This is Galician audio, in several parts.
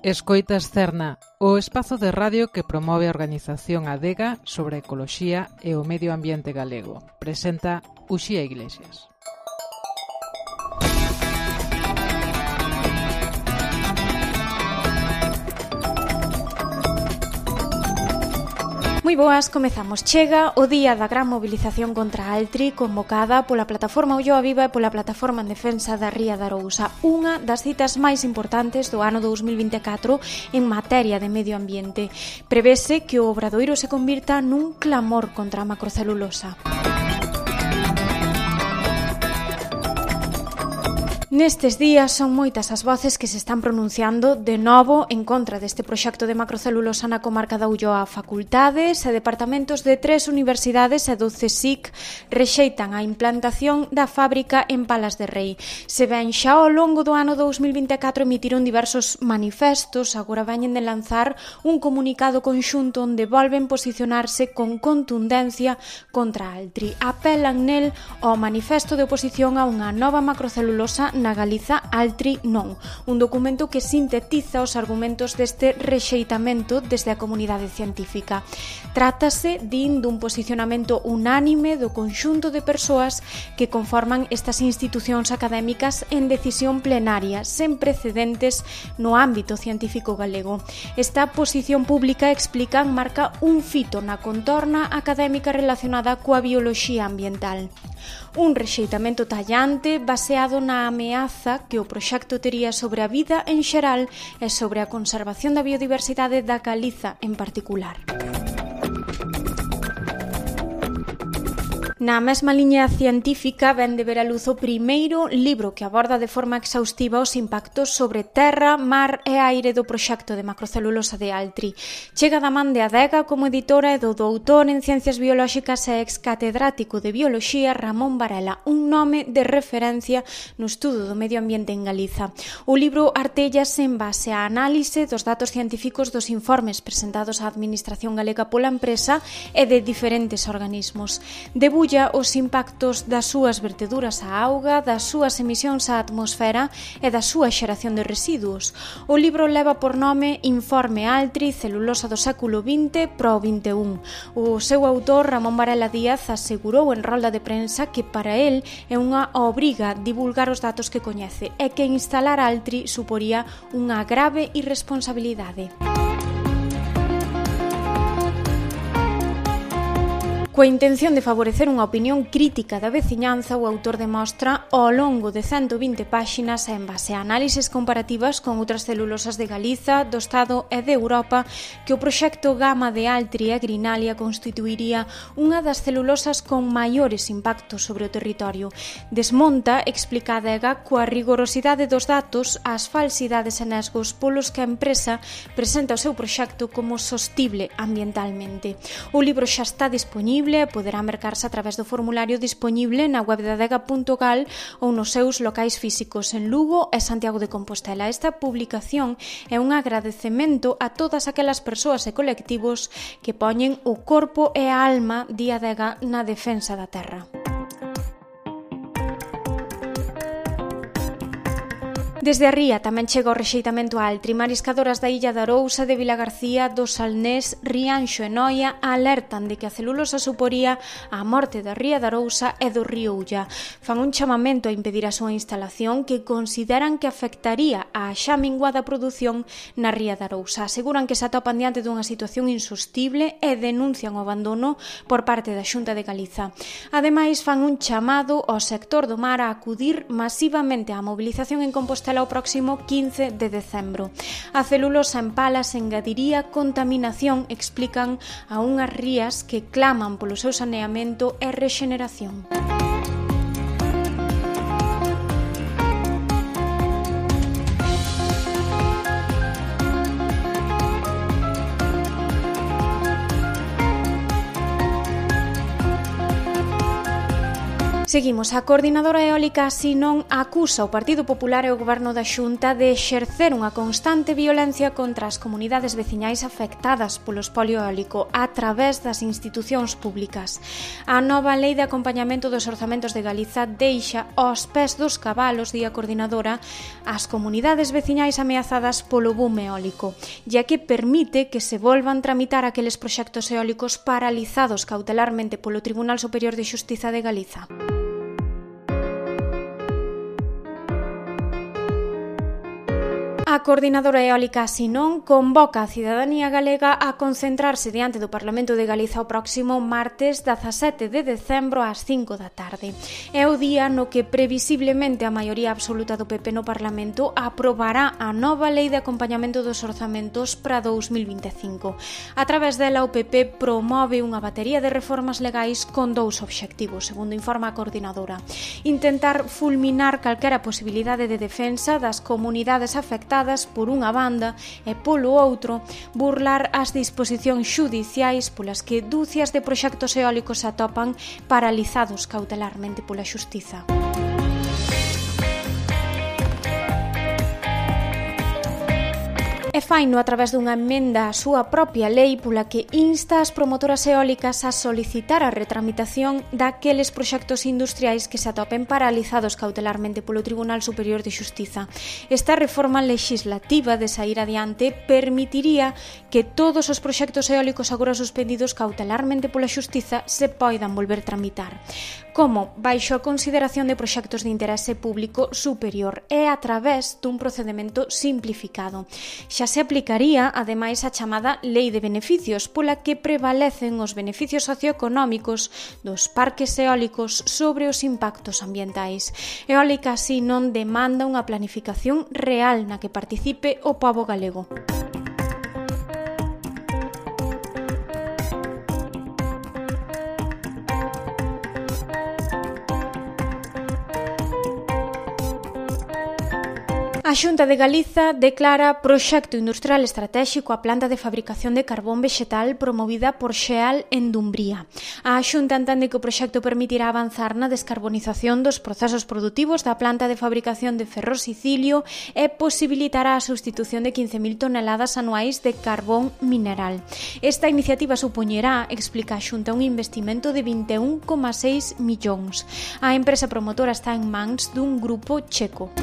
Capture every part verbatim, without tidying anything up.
Escoitas Cerna, o espazo de radio que promove a organización Adega sobre a ecoloxía e o medio ambiente galego. Presenta Uxía Iglesias. Moi boas, comezamos. Chega o día da gran mobilización contra a Altri convocada pola plataforma Ulloa Viva e pola plataforma en defensa da Ría de Arousa, unha das citas máis importantes do ano dous mil vinte e catro en materia de medio ambiente. Prevese que o obradoiro se convirta nun clamor contra a macrocelulosa. Nestes días son moitas as voces que se están pronunciando de novo en contra deste proxecto de macrocelulosa na comarca da Ulloa. Facultades e departamentos de tres universidades e do CSIC rexeitan a implantación da fábrica en Palas de Rei. Se ben xa ao longo do ano dous mil vinte e catro emitiron diversos manifestos, agora veñen de lanzar un comunicado conxunto onde volven posicionarse con contundencia contra Altri. Apelan nel ao manifesto de oposición a unha nova macrocelulosa na Galiza Altri non, un documento que sintetiza os argumentos deste rexeitamento desde a comunidade científica. Trátase, din, dun posicionamento unánime do conxunto de persoas que conforman estas institucións académicas en decisión plenaria, sen precedentes no ámbito científico galego. Esta posición pública, explican, marca un fito na contorna académica relacionada coa bioloxía ambiental. Un rexeitamento tallante baseado na ameaza que o proxecto tería sobre a vida en xeral e sobre a conservación da biodiversidade da Galiza en particular. Na mesma liña científica ven de ver a luz o primeiro libro que aborda de forma exhaustiva os impactos sobre terra, mar e aire do proxecto de macrocelulosa de Altri. Chega da man de Adega como editora e do doutor en Ciencias Biolóxicas e ex-catedrático de Bioloxía Ramón Varela, un nome de referencia no estudo do medio ambiente en Galiza. O libro artéllase en base á análise dos datos científicos dos informes presentados á Administración Galega pola empresa e de diferentes organismos. Debulla os impactos das súas verteduras á auga, das súas emisións á atmosfera e da súa xeración de residuos. O libro leva por nome Informe Altri, celulosa do século vinte pro vinte e un. O seu autor, Ramón Varela Díaz, asegurou en rolda de prensa que para el é unha obriga divulgar os datos que coñece e que instalar Altri suporía unha grave irresponsabilidade. Coa intención de favorecer unha opinión crítica da veciñanza, o autor demostra ao longo de ciento vinte páxinas e en base a análises comparativas con outras celulosas de Galiza, do Estado e de Europa que o proxecto Gama de Altri e Grinalia constituiría unha das celulosas con maiores impactos sobre o territorio. Desmonta, explica a Adega, coa rigorosidade dos datos as falsidades e nesgos polos que a empresa presenta o seu proxecto como sostible ambientalmente. O libro xa está dispoñible e poderá mercarse a través do formulario dispoñible na web de adega punto gal ou nos seus locais físicos en Lugo e Santiago de Compostela. Esta publicación é un agradecemento a todas aquelas persoas e colectivos que poñen o corpo e a alma de Adega na defensa da terra. Desde a ría tamén chega o rexeitamento a Altri. Mariscadoras da illa de Arousa, de Vilagarcía, do Salnés, Rianxo e Noia alertan de que a celulosa suporía a morte da ría de Arousa e do río Ulla. Fan un chamamento a impedir a súa instalación que consideran que afectaría a xa minguada produción na ría de Arousa. Aseguran que se atopan diante dunha situación insostible e denuncian o abandono por parte da Xunta de Galiza. Ademais, fan un chamado ao sector do mar a acudir masivamente á mobilización en Compostela o próximo quince de decembro. A celulosa en Palas engadiría contaminación, explican, a unhas rías que claman polo seu saneamento e rexeneración. Seguimos. A Coordinadora Eólica Sinón acusa o Partido Popular e o Goberno da Xunta de exercer unha constante violencia contra as comunidades veciñais afectadas polo espolio eólico a través das institucións públicas. A nova Lei de Acompañamento dos Orzamentos de Galiza deixa aos pés dos cabalos, di a Coordinadora, as comunidades veciñais ameazadas polo boom eólico, ya que permite que se volvan tramitar aqueles proxectos eólicos paralizados cautelarmente polo Tribunal Superior de Xustiza de Galiza. A Coordinadora Eólica Sinón convoca a cidadanía galega a concentrarse diante do Parlamento de Galiza o próximo martes dezasete de decembro ás cinco da tarde. É o día no que previsiblemente a maioría absoluta do P P no Parlamento aprobará a nova Lei de Acompañamento dos Orzamentos para dous mil vinte e cinco. A través dela o P P promove unha batería de reformas legais con dous obxectivos, segundo informa a Coordinadora: intentar fulminar calquera posibilidade de defensa das comunidades afectadas por unha banda e polo outro burlar as disposicións xudiciais polas que dúcias de proxectos eólicos se atopan paralizados cautelarmente pola xustiza. E faino a través dunha emenda á súa propia lei pola que insta as promotoras eólicas a solicitar a retramitación daqueles proxectos industriais que se atopen paralizados cautelarmente polo Tribunal Superior de Xustiza. Esta reforma legislativa de sair adiante permitiría que todos os proxectos eólicos agora suspendidos cautelarmente pola Xustiza se poidan volver tramitar, como baixo a consideración de proxectos de interese público superior e a través dun procedemento simplificado. Xa se aplicaría, ademais, a chamada Lei de Beneficios, pola que prevalecen os beneficios socioeconómicos dos parques eólicos sobre os impactos ambientais. Eólica así non demanda unha planificación real na que participe o pobo galego. A Xunta de Galiza declara proxecto industrial estratéxico a planta de fabricación de carbón vexetal promovida por Xeal en Dumbría. A Xunta entende que o proxecto permitirá avanzar na descarbonización dos procesos produtivos da planta de fabricación de ferrosicilio e posibilitará a substitución de quince mil toneladas anuais de carbón mineral. Esta iniciativa supoñerá, explica a Xunta, un investimento de vinte e un coma seis millóns. A empresa promotora está en mans dun grupo checo.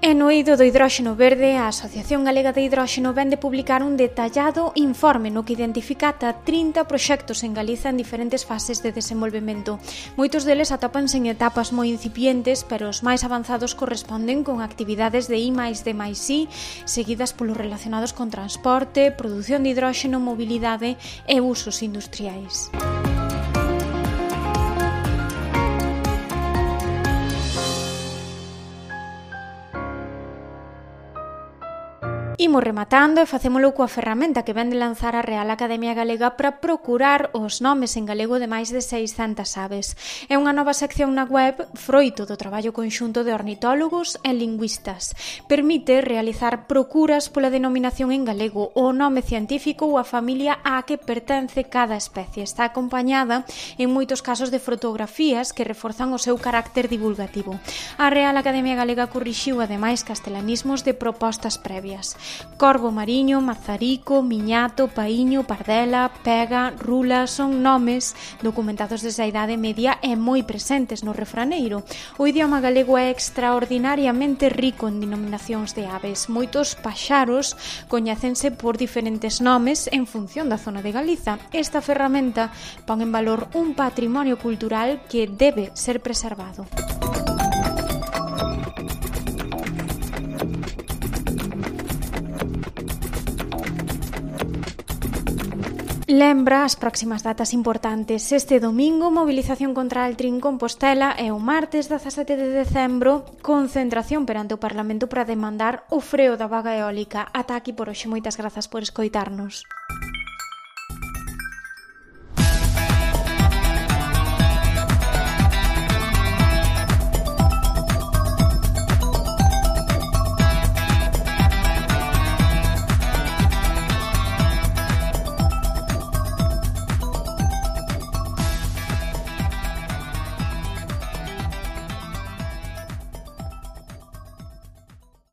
E no eido do hidróxeno verde, a Asociación Galega de Hidróxeno vén de publicar un detallado informe no que identifica ata trinta proxectos en Galiza en diferentes fases de desenvolvemento. Moitos deles atópanse en etapas moi incipientes, pero os máis avanzados corresponden con actividades de I máis D máis I, seguidas polos relacionados con transporte, produción de hidróxeno, mobilidade e usos industriais. Imos rematando e facémolo coa ferramenta que ven de lanzar a Real Academia Galega para procurar os nomes en galego de máis de seiscentas aves. É unha nova sección na web froito do traballo conxunto de ornitólogos e lingüistas. Permite realizar procuras pola denominación en galego, o nome científico ou a familia á que pertence cada especie. Está acompañada en moitos casos de fotografías que reforzan o seu carácter divulgativo. A Real Academia Galega corrixiu ademais castelanismos de propostas previas. Corvo mariño, mazarico, miñato, paíño, pardela, pega, rula son nomes documentados desde a Idade Media e moi presentes no refraneiro. O idioma galego é extraordinariamente rico en denominacións de aves. Moitos paxaros coñécense por diferentes nomes en función da zona de Galiza. Esta ferramenta pon en valor un patrimonio cultural que debe ser preservado. Lembra as próximas datas importantes. Este domingo, movilización contra Altri en Compostela e o martes dezasete de decembro, concentración perante o Parlamento para demandar o freo da vaga eólica. Ata aquí por hoxe. Moitas grazas por escoitarnos.